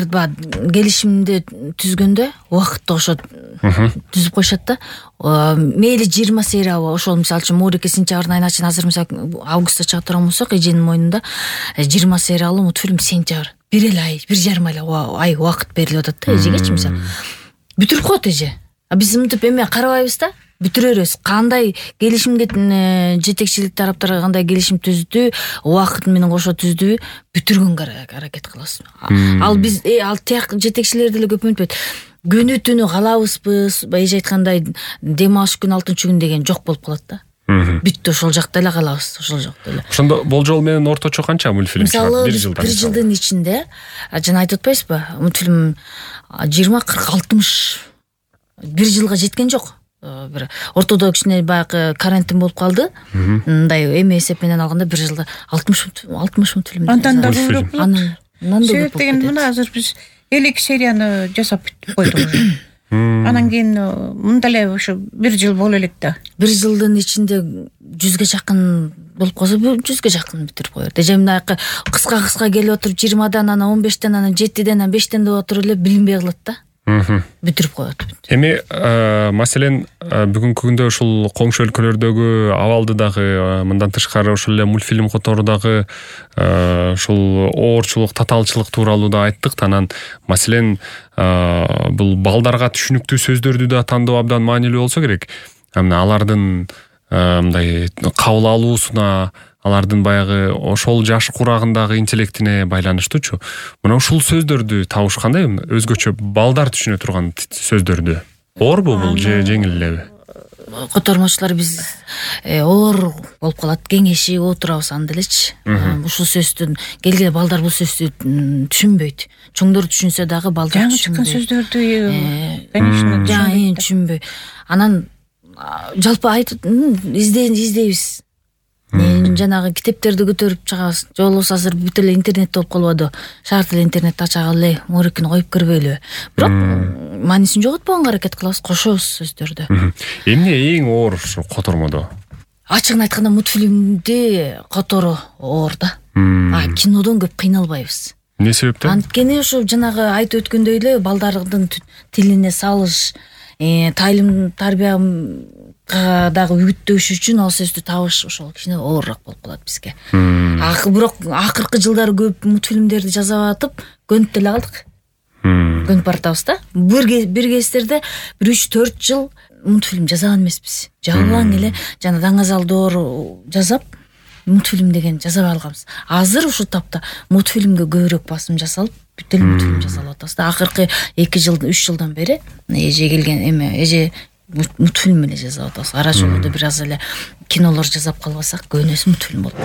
алар баягы келишимди түзгөндө убакытты ошо түзүп коюшат да. Мейли 20 сериябы ошол мисалы үчүн Морике сентябрдын айына чейин азыр мисалы августта чыга турган болсок, эженин мойнунда 20 сериялуу мультфильм сентябрь. 1 ай, 1,5 ай убакыт берилип атат да эжегечи мисалы. Бүтүрүп коет эже. Биз мынтип эме карабайбыз да. Бүтүрөрүз. Кандай келишимге жетекчилик тараптар кандай келишим түздү, убакыт менен кошо түздү, бүтүргөнгө аракет кылабыз. Ал биз ал тияк жетекчилер деле көп үмүттөйт. Күнү түнү калабызбыз, эже айткандай дем алыш күн 6-күн деген жок болуп калат да. Бүттү, ошол жакта эле калабыз, ошол жакта эле. Ошондо болжол менен орточо канча мультфильм чыгат? 1 жылда. 1 жылдын ичинде жана айтып атпайсызбы, мультфильм 20, 40, 60 1 жылга жеткен жок. Бир ортодо кичине баягы карантин болуп калды. Мындай эме эсеп менен алганда 1 жылда 60 мультфильм. Андан да көбүрөөк болот. Себеп дегенде мына азыр биз 52 серияны жасап бүттүп койдук уже. Анан кийин мында эле ошо 1 жыл боло элек да. 1 жылдын ичинде 100ге жакын болуп калса, 100ге жакын бүтүрүп коет. Эже мындай кыска келип отуруп 20дан анан 15тен анан 7ден анан 5тен деп отуруп эле билинбей калат да. Бүтүрүп коет. Эми маселен бүгүнкү күндө ушул коңшу өлкөлөрдөгү абалды дагы мындан тышкары ошол эле мультфильм котору дагы ушул оорчулук, татаалчылык тууралуу да айттык. Анан маселен бул балдарга түшүнүктүү сөздөрдү да тандоо абдан маанилүү болсо керек. Алардын мындай кабыл алуусуна, алардын баягы ошол жаш курагындагы интеллектине байланыштуучу. Мына ушул сөздөрдү табыш кандай? Өзгөчө балдар түшүнө турган сөздөрдү. Оорбу бул же жеңил элеби? Котормочулар биз оор болуп калат, кеңешип отурабыз анда элечи. Ушул сөздүн келген балдар бул сөздү түшүнбөйт. Чоңдор түшүнсө дагы балдар жаңы чыккан сөздөрдү конечно түшүнбөй. Анан жалпы айтып издейбиз. Жанагы китептерди көтөрүп чыгабыз. Же болбосо азыр бүт эле интернет болуп калбады. Шарт эле интернетти ача эле, Морикини коюп кирбейлиби? Бирок маанисин жоготпогонго аракет кылабыз, кошобуз сөздөрдү. Эмне эң оор ушу котормодо? Ачыгын айтканда мультфильмди которуу оор да. Кинодон көп кыйналбайбыз. Эмне себептен? Анткени ушу жанагы айтып өткөндөй эле балдардын тилине салыш, тайылым тарбия дагы үгүттөш үчүн ал сөздү табыш ошол кичине оорураак болуп калат бизге. Бирок акыркы жылдары көп мультфильмдерди жаза атып, көнүп деле калдык. Көнүп баратабыз да. Бир кездерде 3-4 жыл мультфильм жазган эмеспиз. Жалаң эле жана Даңазалдоор жазап, мультфильм деген жаза алганбыз. Азыр ушул тапта мультфильмге көбүрөөк басым жасалып, бүт эле мультфильм жасалып атабыз да. Акыркы 2 жыл, 3 жылдан бери эже келген эже мультфильм эле жазып атабыз. Ара жолдо бир аз эле кинолор жасап калбасак, көбүнөсү мультфильм болуп.